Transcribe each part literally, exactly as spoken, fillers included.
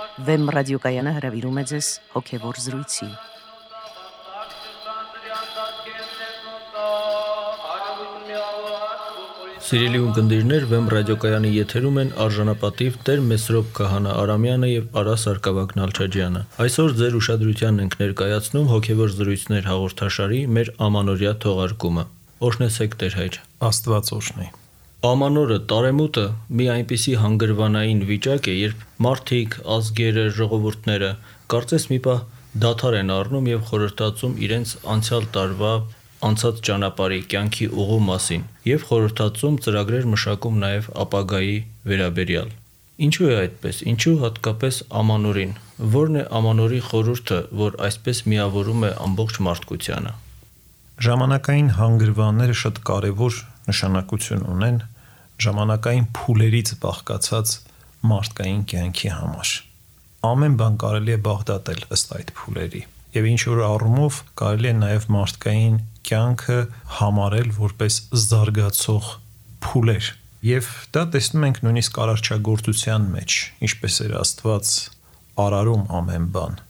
Վեմ ռադիոկայանը հրավիրում է ձեզ հոգևոր զրույցի։ Սիրելի ունկնդիրներ, Վեմ ռադիոկայանի եթերում են արժանապատիվ Տեր Մեսրոպ Քահանա Արամյանը եւ Արա Սարգսակյան Նալչաջյանը։ Այսօր ձեր ուշադրությանն ենք ներկայացնում հոգևոր զրույցներ հաղորդաշարի մեր ամանորյա թողարկումը։ Օրհնեցեք Տեր Հայր։ Աստված օրհնի։ Ամանորը, տարեմուտը մի այնպիսի հանգրվանային վիճակ է, երբ մարդիկ, ազգերը, ժողովուրդները կարծես մի պահ դադար են առնում եւ խորհրդածում իրենց անցյալ տարվա անցած ճանապարհի կյանքի ուղու մասին եւ խորհրդածում ծրագրեր մշակում նաեւ ապագայի վերաբերյալ։ Ինչու է այդպես? Ինչու հատկապես ամանորին? Որն է ամանորի խորհուրդը, որ այսպես միավորում է ամբողջ մարդկությանը? Ժամանակային հանգրվանները շատ կարևոր նշանակություն ունեն ժամանակային փուլերից բաղկացած մարդկային կյանքի համար։ Ամեն բան կարելի է բաղդատել ըստ այդ փուլերի եւ ինչ որ առումով կարելի է նաեւ մարդկային կյանքը համարել որպես զարգացող փուլեր եւ դա տեսնում ենք նույնիսկ արարչագործության մեջ, ինչպես էր Աստված արարում ամեն բան,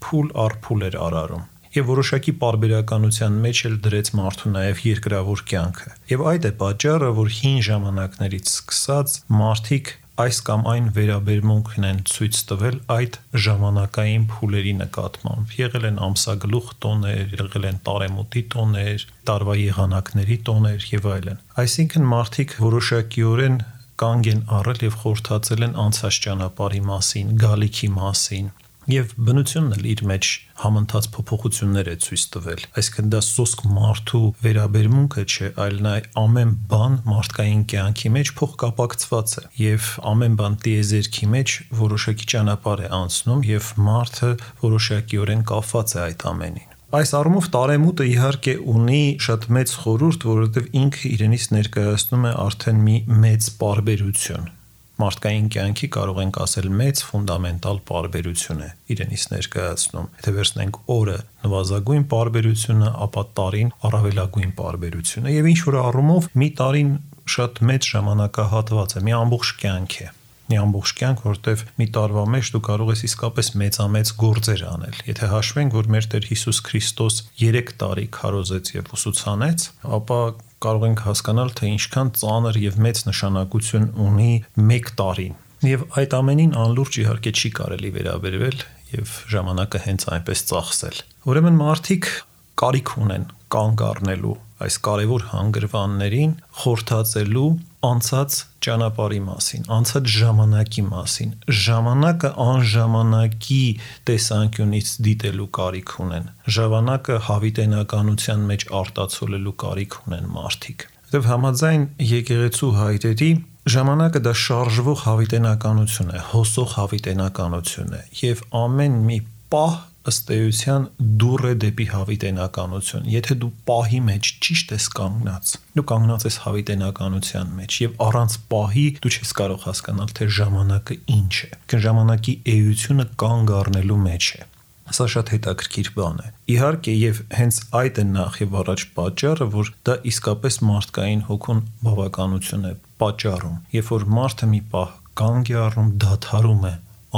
փուլ առ փուլ էր արարում եւ որոշակի պարբերականության մեջ էլ դրեց մարդու նաեւ երկրավոր կյանքը։ Եվ այդ է պատճառը, որ հին ժամանակներից սկսած մարդիկ այս կամ այն վերաբերմունքն են ցույց տվել այդ ժամանակային փուլերի նկատմամբ։ Եղել են ամսագլուխ տոներ, եղել են տարեմուտի տոներ, տարվա եղանակների տոներ եւ այլն։ Այսինքն մարդիկ որոշակիորեն կանգ են առել եւ խորհրդածել են անցած ճանապարհի մասին, գալիքի մասին։ Եվ բնությունն էլ իր մեջ համընթաց փոփոխություններ է ցույց տվել։ Այսինքն դա սոսկ մարդու վերաբերմունքը չէ, այլ նա ամեն բան մարդկային կյանքի մեջ փոխկապակցված է եւ ամեն բան տիեզերքի մեջ որոշակի ճանապարհ է անցնում եւ մարդը որոշակիորեն կապված է այդ ամենին։ Այս առումով տարեմուտը իհարկե ունի շատ մեծ խորհուրդ, որովհետեւ ինքը իրենից ներկայացնում է արդեն մի մեծ պարբերություն։ Մարդկային կյանքի կարող ենք ասել մեծ ֆունդամենտալ պարբերություն է իրենից ներկայացնում։ Եթե վերցնենք օրը նվազագույն պարբերությունը, ապա տարին առավելագույն պարբերությունը եւ ինչ որ առումով մի տարին շատ մեծ ժամանակահատված է, մի ամբողջ կյանք է։ Մի ամբողջ կյանք, որտեվ մի տարվա մեջ դու կարող ես իսկապես մեծամեծ գործեր անել։ Եթե հաշվենք, որ մեր Տեր Հիսուս Քրիստոս երեք տարի քարոզեց եւ ուսուցանեց, ապա կարող ենք հասկանալ, թե ինչքան ծանր եւ մեծ նշանակություն ունի մեկ տարին։ Եվ այդ ամենին անլուրջ իհարկե չի կարելի վերաբերվել եւ ժամանակը հենց այնպես ծախսել։ Ուրեմն մարդիկ կարիք ունեն կանգ առնելու այս կարևոր հանգրվաններին, խորհրդածելու անցած ճանապարհի մասին, անցած ժամանակի մասին, ժամանակը անժամանակի տեսանկյունից դիտելու կարիք ունեն, ժամանակը հավիտենականության մեջ արտացոլելու կարիք ունեն մարդիկ։ Եվ համաձայն եկեղեցու հայրերի ժամանակը դա շարժվող հավիտենականություն է, հոսող հավիտենականություն է եւ ամեն մի պահ ըստ էության դուռ է դեպի հավիտենականություն։ Եթե դու պահի մեջ ճիշտ ես կանգնած, դու կանգնած ես հավիտենականության մեջ եւ առանց պահի դու չես կարող հասկանալ, թե ժամանակը ինչ է։ Că ժամանակի էությունը կանգ առնելու մեջ է։ Սա շատ հետաքրքիր բան է։ Իհարկե եւ հենց այդ է նախ եւ առաջ պատճառը, որ դա իսկապես մարդկային հոգուն բավականություն է պատճառում։ Երբ որ մարդը մի պահ կանգ է առնում, դադարում է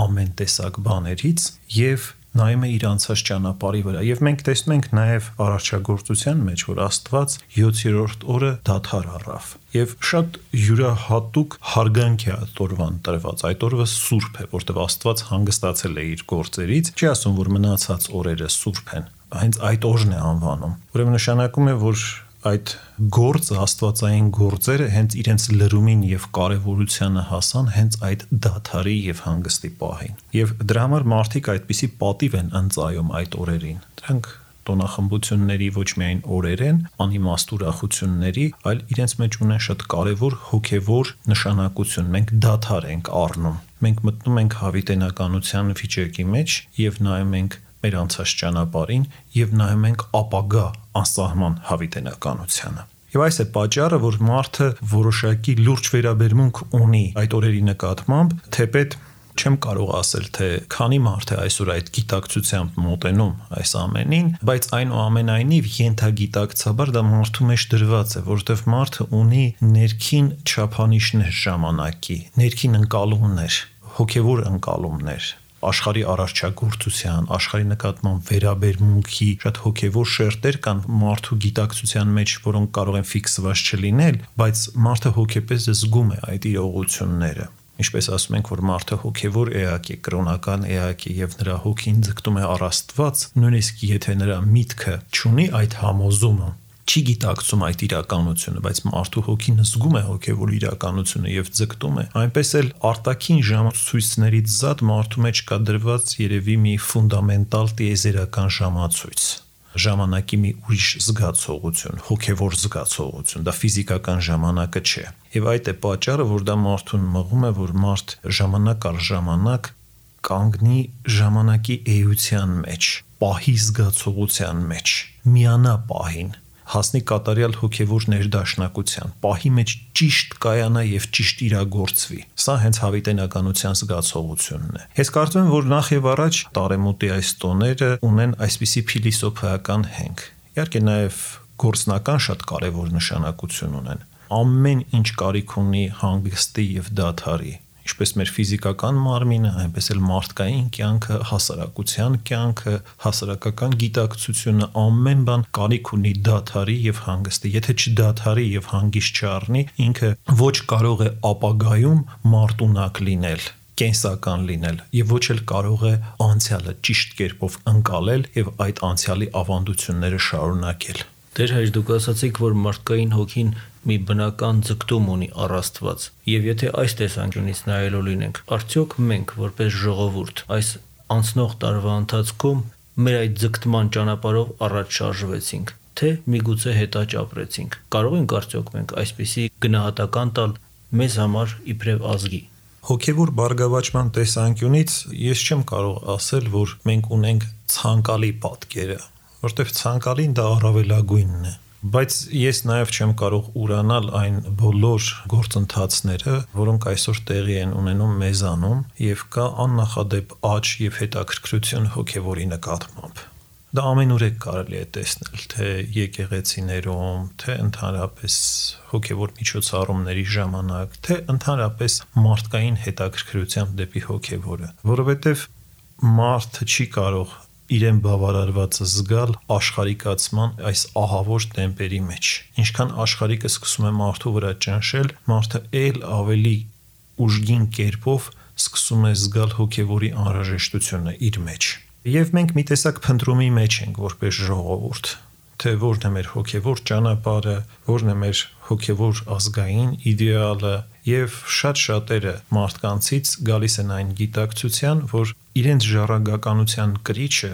ամեն տեսակ բաներից եւ նայում է իր անցած ճանապարհի վրա եւ մենք տեսնում ենք նաեւ արարչագործության մեջ, որ Աստված յոթերորդ օրը դադար առավ եւ շատ յուրահատուկ հարգանք է այդ օրվան տրված։ Այդ օրը սուրբ է, որտեղ Աստված հանգստացել է իր գործերից, չի ասում, որ մնացած օրերը սուրբ են, հենց այդ օրն է անվանում։ Ուրեմն նշանակում է, որ այդ գործը, աստվածային գործերը հենց իրենց լրումին եւ կարեւորությանը հասան հենց այդ դադարի եւ հանգստի պահին։ Եվ դրա համար մարդիկ այդպիսի պատիվ են ընծայում այդ օրերին։ Դրանք տոնախմբությունների ոչ միայն օրեր են, անիմաստ ուրախությունների, այլ իրենց մեջ ունեն շատ կարևոր հոգեվոր նշանակություն։ Մենք դադար ենք առնում։ Մենք մտնում ենք հավիտենականության վիճակի մեջ եւ նայում ենք մեր անցած ճանապարհին եւ նայում ենք ապագա անսահման հավիտենականությանը։ Եվ այս է պատճառը, որ մարդը որոշակի լուրջ վերաբերմունք ունի այդ օրերի նկատմամբ, թեպետ չեմ կարող ասել, թե քանի մարդ է այսօր այդ գիտակցությամբ մոտենում այս ամենին, բայց այնուամենայնիվ ենթագիտակցաբար դա մարդու մեջ դրված է, որովհետև մարդը ունի ներքին չափանիշներ ժամանակի, ներքին ընկալումներ, հոգևոր ընկալումներ, աշխարհի արարչագործության, աշխարհի նկատմամբ վերաբերմունքի շատ հոգևոր շերտեր կան մարդու գիտակցության մեջ, որոնք կարող են ֆիքսված չլինել, բայց մարդը հոգեպես զգում է այդ իրողությունները։ Ինչպես ասում ենք, որ մարդը հոգևոր էակ է, կրոնական էակ է եւ նրա հոգին ձգտում է առ Աստված, նույնիսկ եթե նրա միտքը չունի այդ համոզումը, չի գիտակցում այդ իրականությունը, բայց մարդու հոգին զգում է հոգևոր իրականությունը եւ ձգտում է, այնպես էլ արտաքին ժամացույցներից զատ մարդու մեջ կա դրված երևի մի ֆունդամենտալ տիեզերական ժամացույց, ժամանակի մի ուրիշ զգացողություն, հոգևոր զգացողություն, դա ֆիզիկական ժամանակը չէ։ Եվ այդ է պատճառը, որ դա մարդուն մղում է, որ մարդ ժամանակ առ ժամանակ կանգնի ժամանակի էության մեջ, պահի զգացողության մեջ, միանա պահին, հասնի կատարյալ հոգևոր ներդաշնակության, պահի մեջ ճիշտ կայանա եւ ճիշտ իրագործվի։ Սա հենց հավիտենականության զգացողությունն է։ Ես կարծում եմ, որ նախ եւ առաջ տարեմուտի այս տոները ունեն այսպիսի փիլիսոփայական հենք։ Իհարկե նաեւ գործնական շատ կարեւոր նշանակություն ունեն։ Ամեն ինչ կարիք ունի հանգստի եւ դադարի, ինչպես մեր ֆիզիկական մարմինը, այնպես էլ մարդկային կյանքը, հասարակության կյանքը, հասարակական գիտակցությունը, ամեն բան կարիք ունի դադարի եւ հանգստի։ Եթե չդադարի եւ հանգիստ չառնի, ինքը ոչ կարող է ապագայում մարդունակ լինել, կենսական լինել եւ ոչ էլ կարող է անցյալը ճիշտ կերպով ընկալել եւ այդ անցյալի ավանդությունները շարունակել։ Դեր հայր դուք ասացիք, որ մարդկային հոգին մի բնական ձգտում ունի առ Աստված, եւ եթե այս տեսանկյունից նայելու լինենք, արդյոք մենք որպես ժողովուրդ այս անցնող տարվա ընթացքում մեր այդ ձգտման ճանապարհով առաջ շարժվեցինք, թե միգուցե հետաճ ապրեցինք։ Կարող ենք արդյոք մենք այսպիսի գնահատական տալ մեզ համար իբրև ազգի։ Հոգևոր բարգավաճման տեսանկյունից ես չեմ կարող ասել, որ մենք ունենք ցանկալի պատկերը, որտեղ ցանկալին դա առավելագույնն է, բայց ես նաև չեմ կարող ուրանալ այն բոլոր գործընթացները, որոնք այսօր տեղի են ունենում մեզանում եւ կա աննախադեպ աճ եւ հետաքրքրություն հոգևորի նկատմամբ։ Դա ամենուր է կարելի է տեսնել, թե եկեղեցիներում, թե ընդհանրապես հոգևոր միջոցառումների ժամանակ, թե ընդհանրապես մարդկային հետաքրքրությամբ դեպի հոգևորը, որովհետեւ մարդը չի կարող իրեն բավարարվածը զգալ աշխարհիկացման այս ահավոր տեմպերի մեջ։ Ինչքան աշխարհիկը սկսում է մարդու վրա ճնշել, մարդը ել ավելի ուժգին կերպով սկսում է զգալ հոգևորի անհրաժեշտությունը իր մեջ։ Եվ մենք մի տեսակ փնտրումի մեջ ենք որպես ժողովուրդ, թե որն է մեր հոգևոր ճանապարհը, որն է մեր հոգևոր ազգային իդեալը, եւ շատ շատերը մարդկանցից գալիս են այն գիտակցության, որ իրենց ժառանգականության կրիչը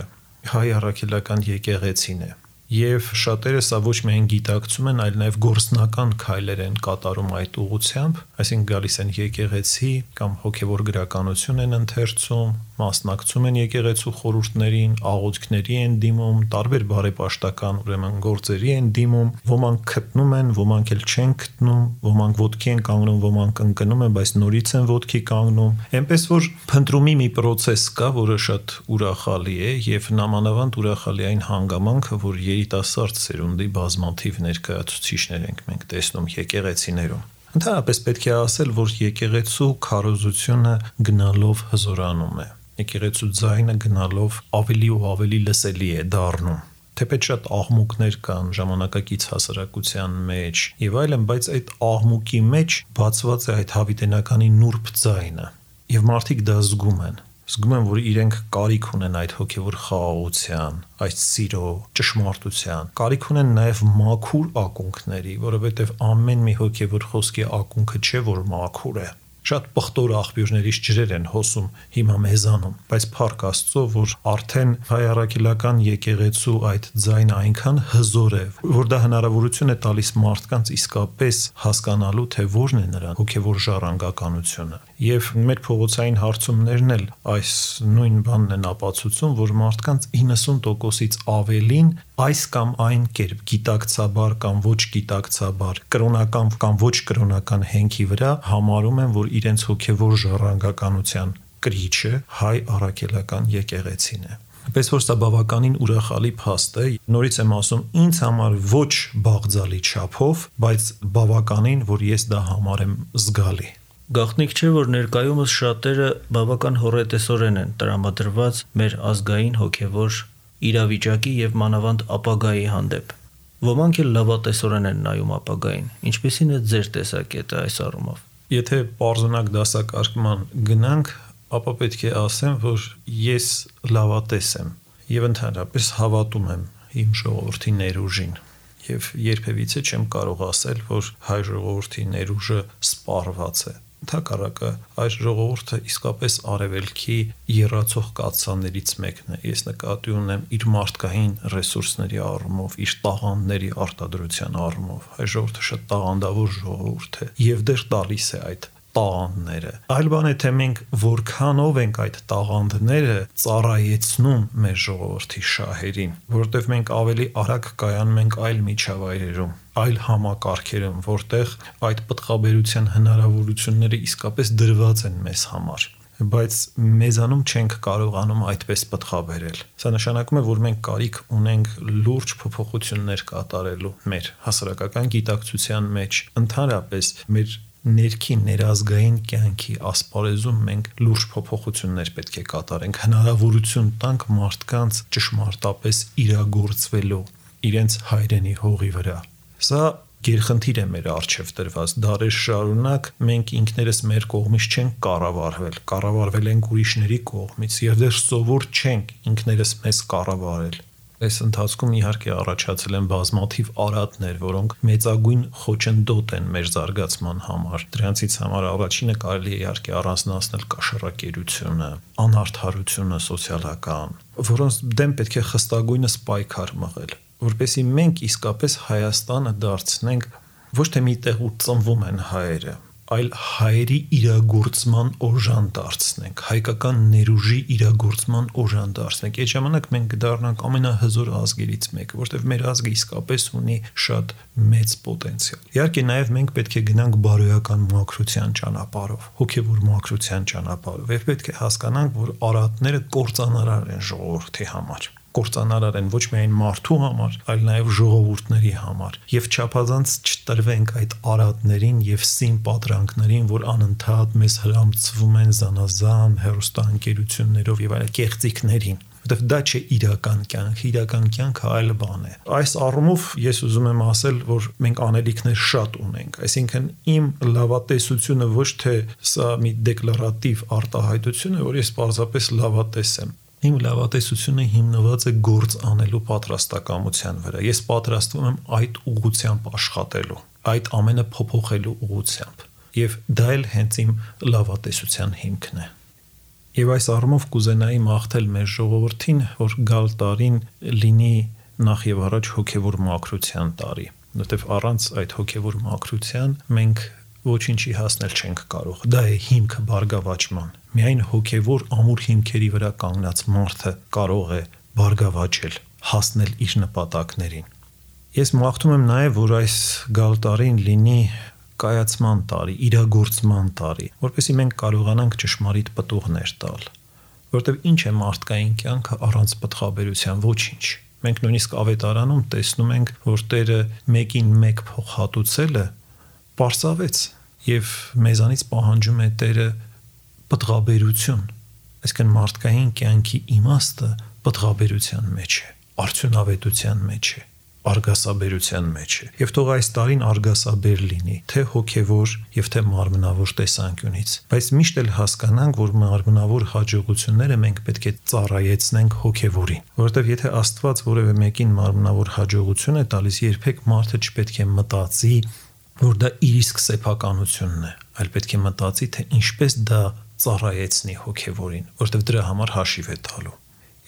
հայ առաքելական եկեղեցին է։ Եվ շատերը սա ոչ միայն գիտակցում են, այլ նաև գործնական քայլեր են կատարում այդ ուղղությամբ, այսինքն գալիս են եկեղեցի կամ հոգևոր գրականություն են ընթերցում, մասնակցում են եկեղեցու խորհուրդներին, աղոթքների են դիմում, տարբեր բարեպաշտական ուրեմն գործերի են դիմում, ոմանք գտնում են, ոմանք էլ չեն գտնում, ոմանք ոտքի են կանգնում, ոմանք ընկնում են, բայց նորից են ոտքի կանգնում։ Էնպես որ փնտրումի մի process կա, որը շատ ուրախալի է եւ նամանավանդ ուրախալի այն հանգամանքը, որ երիտասարդ սերունդի բազմաթիվ ներկայացուցիչներ ենք մենք տեսնում եկեղեցիներում։ Ընդհանրապես պետք է ասել, որ եկեղեցու քարոզությունը գնալով հզորանում է։ Եկեղեցու ձայնը գնալով ավելի ու ավելի լսելի է դառնում։ Թեպետ շատ աղմուկներ կան ժամանակակից հասարակության մեջ եւ այլն, բայց այդ աղմուկի մեջ բացված է այդ հավիտենականի նուրբ ձայնը։ Եվ մարդիկ դա զգում են։ Զգում են, որ իրենք կարիք ունեն այդ հոգևոր խաղաղության, այդ սիրո, ճշմարտության, կարիք ունեն նաև մաքուր ակունքների, որովհետև ամեն մի հոգևոր խոսքի ակունքը չէ, որ մաքուր է։ Շատ պղտոր աղբյուրներից ջրեր են հոսում հիմա մեզանում, բայց փառք Աստծո, որ արդեն հայ առաքելական եկեղեցու այդ ձայնը այնքան հզոր է, որ դա հնարավորություն է տալիս մարդկանց իսկապես հասկանալու, թե որն է նրան հոգևոր ժառանգականությունը։ Եվ մեր փողոցային հարցումներն էլ այս նույն բանն են ապացուցում, որ մարդկանց իննսուն տոկոսից ավելին այս կամ այն կերպ գիտակցաբար կամ ոչ գիտակցաբար, կրոնական կամ ոչ կրոնական հենքի վրա համարում են, որ իրենց հոգևոր ժառանգականության կրիչը հայ առաքելական եկեղեցին է։ Պես որ սա բավականին ուրախալի փաստ է, նորից եմ ասում, ինձ համար ոչ բաղձալի չափով, բայց բավականին, որ ես դա համարեմ զգալի։ Գաղտնիք չէ, որ ներկայումս շատերը բավական հոռետեսորեն են տրամադրված մեր ազգային հոգևոր իրավիճակի եւ մանավանդ ապագայի հանդեպ։ Ոմանք էլ լավատեսորեն են նայում ապագային։ Ինչպիսին է ձեր տեսակետը այս առումով։ Եթե պարզունակ դասակարգման գնանք, ապա պետք է ասեմ, որ ես լավատես եմ եւ ընդհանրապես հավատում եմ իմ ժողովրդի ներուժին եւ երբևիցե չեմ կարող ասել, որ հայ ժողովրդի ներուժը սպառված է։ Ընդհակառակը այս ժողովուրդը իսկապես արևելքի եռացող կաթսաներից մեկն է։ Ես նկատի ունեմ իր մարդկային ռեսուրսների առումով, իր տաղանդների արտադրության առումով։ Այս ժողովուրդը շատ տաղանդավոր ժողովուրդ է եւ դեռ տալիս է այդ տաղանդները։ Այլ բան է, թե մենք որքանով ենք այդ տաղանդները ծառայեցնում մեր ժողովրդի շահերին, որովհետև մենք ավելի արագ կայանում ենք այլ միջավայրերում, այլ համակարգերում, որտեղ այդ պտղաբերության հնարավորությունները իսկապես դրված են մեզ համար, բայց մեզանում չենք կարողանում այդպես պտղաբերել։ Սա նշանակում է, որ մենք կարիք ունենք լուրջ փոփոխություններ կատարելու մեր հասարակական գիտակցության մեջ, ընդհանրապես մեր ներքին ներազգային կյանքի ասպարեզում մենք լուրջ փոփոխություններ պետք է կատարենք, հնարավորություն տանք մարդկանց ճշմարտապես իրագործվելու իրենց հայրենի հողի վրա։ Սա գերխնդիր է մեր առջև դրված։ Դարեր շարունակ մենք ինքներս մեր կողմից չենք կառավարվել, կառավարվել ենք ուրիշների կողմից եւ դեռ սովոր չենք ինքներս մեզ կառավարել։ Այս ընթացքում իհարկե առաջացել են բազմաթիվ արատներ, որոնք մեծագույն խոչընդոտ են մեր զարգացման համար։ Դրանցից համար առաջինը կարելի է իհարկե առանձնացնել կաշառակերությունը, անարդարությունը սոցիալական, որոնց դեմ պետք է խստագույնս պայքար մղել, որպեսզի մենք իսկապես Հայաստանը դարձնենք ոչ թե մի տեղ ու ծնվում են հայերը, այլ հայերի իրագործման օժան դարձնենք, հայկական ներուժի իրագործման օժան դարձնենք։ Այդ ժամանակ մենք կդառնանք ամենահզոր ազգերից մեկը, որտեղ մեր ազգը իսկապես ունի շատ մեծ պոտենցիալ։ Իհարկե նաև մենք պետք է գնանք բարոյական մաքրության ճանապարհով, հոգևոր մաքրության ճանապարհով, եւ պետք է հասկանանք, որ արատները կործանարար են ժողովրդի համար։ Կործանարար են ոչ միայն մարդու համար, այլ նաև ժողովուրդների համար, եւ չափազանց չտրվենք այդ արատներին եւ սին պատրանքներին, որ անընդհատ մեզ հրամցվում են զանազան հերոստանգերություններով եւ այլ կեղծիքներին, որովհետեւ դա չէ իրական կյանք, իրական կյանքը այլ բան է։ Այս առումով ես ուզում եմ ասել, որ մենք անելիքներ շատ ունենք, այսինքն իմ լավատեսությունը ոչ թե սա մի դեկլարատիվ արտահայտություն է, որ ես պարզապես լավատես եմ։ Իմ լավատեսությունը հիմնված է գործ անելու պատրաստակամության վրա։ Ես պատրաստվում եմ այդ ուղղությամբ աշխատելու, այդ ամենը փոփոխելու ուղղությամբ։ Եվ դա էլ հենց իմ լավատեսության հիմքն է։ Եվ այս առումով կուզենայի մաղթել մեր ժողովրդին, որ գալ տարին լինի նախ եւ առաջ հոգեվոր մաքրության տարի, որովհետեւ առանց այդ հոգեվոր մաքրության մենք ոչինչի հասնել չենք կարող։ Դա է հիմքը բարգավաճման։ Միայն հոգևոր ամուր հիմքերի վրա կանգնած մարդը կարող է բարգավաճել, հասնել իր նպատակներին։ Ես մաղթում եմ նաև, որ այս գալ տարին լինի կայացման տարի, իրագործման տարի, որպեսզի մենք կարողանանք ճշմարիտ պտուղներ տալ։ Որտեւ ինչ է մարդկային կյանքը առանց պտղաբերության, ոչինչ։ Մենք նույնիսկ ավետարանում տեսնում ենք, որ Տերը մեկին մեկ փոխհատուցելը պարզավեց եւ մեզանից պահանջում է Տերը պտղաբերություն, այսինքն մարդկային կյանքի իմաստը պտղաբերության մեջ է, արդյունավետության մեջ է, արգասաբերության մեջ է։ Եվ թող այս տարին արգասաբեր լինի, թե հոգևոր եւ թե մարմնավոր տեսանկյունից, բայց միշտ էլ հասկանանք, որ մարմնավոր հաջողությունները մենք պետք է ծառայեցնենք հոգևորին, որովհետեւ եթե Աստված որևէ մեկին մարմնավոր հաջողություն է տալիս, երբեք մարդը չպետք է մտածի, որ դա իր իսկ սեփականությունն է, այլ պետք է մտածի, թե ինչպես դա ծառայեցնի հոգևորին, որովհետև դրա համար հաշիվ է տալու։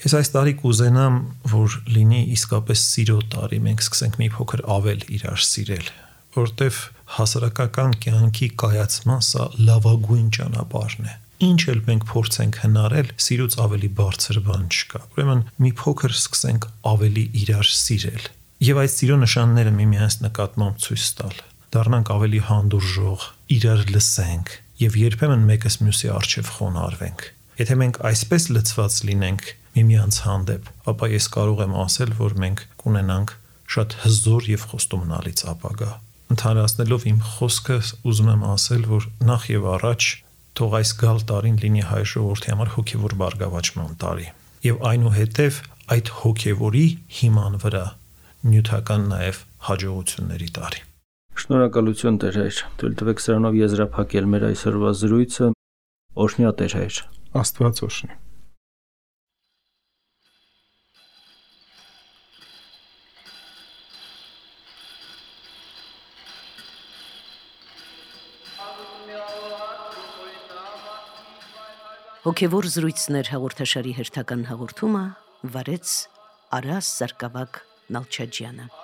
Ես այս տարի կուզենամ, որ լինի իսկապես սիրո տարի, մենք սկսենք մի փոքր ավել իրար սիրել, որովհետև հասարակական կյանքի կայացման սա լավագույն ճանապարհն է։ Ինչ էլ մենք փորձենք հնարել, սիրուց ավելի բարձր բան չկա։ Ուրեմն մի փոքր սկսենք ավելի իրար սիրել եւ այդ սիրո նշանները միմյանց նկատմամբ ցույց տալ։ Դառնանք ավելի հանդուրժող, իրար լսենք եւ երբեմն մեկս մյուսի առջև խոնարհվենք։ Եթե մենք այսպես լցված լինենք միմյանց հանդեպ, ապա ես կարող եմ ասել, որ մենք կունենանք շատ հզոր եւ խոստումնալից ապագա։ Ընդհանրացնելով իմ խոսքը ուզում եմ ասել, որ նախ եւ առաջ թող այս գալ տարին լինի հայ ժողովրդի համար հոգեվոր բարգավաճման տարի եւ այնուհետեւ այդ հոգեվորի հիման վրա նյութական նաեւ հաջողությունների տարի։ Շնորհակալություն Տեր հայր, թույլ տվեք սրանով եզրափակել մեր այսօրվա զրույցը։ Օրհնյա Տեր հայր։ Աստված օրհնի։ Հոգևոր զրույցներ հաղորդաշարի հերթական հաղորդումը վարեց Արաս Սարգսակ Նալչաջյանը։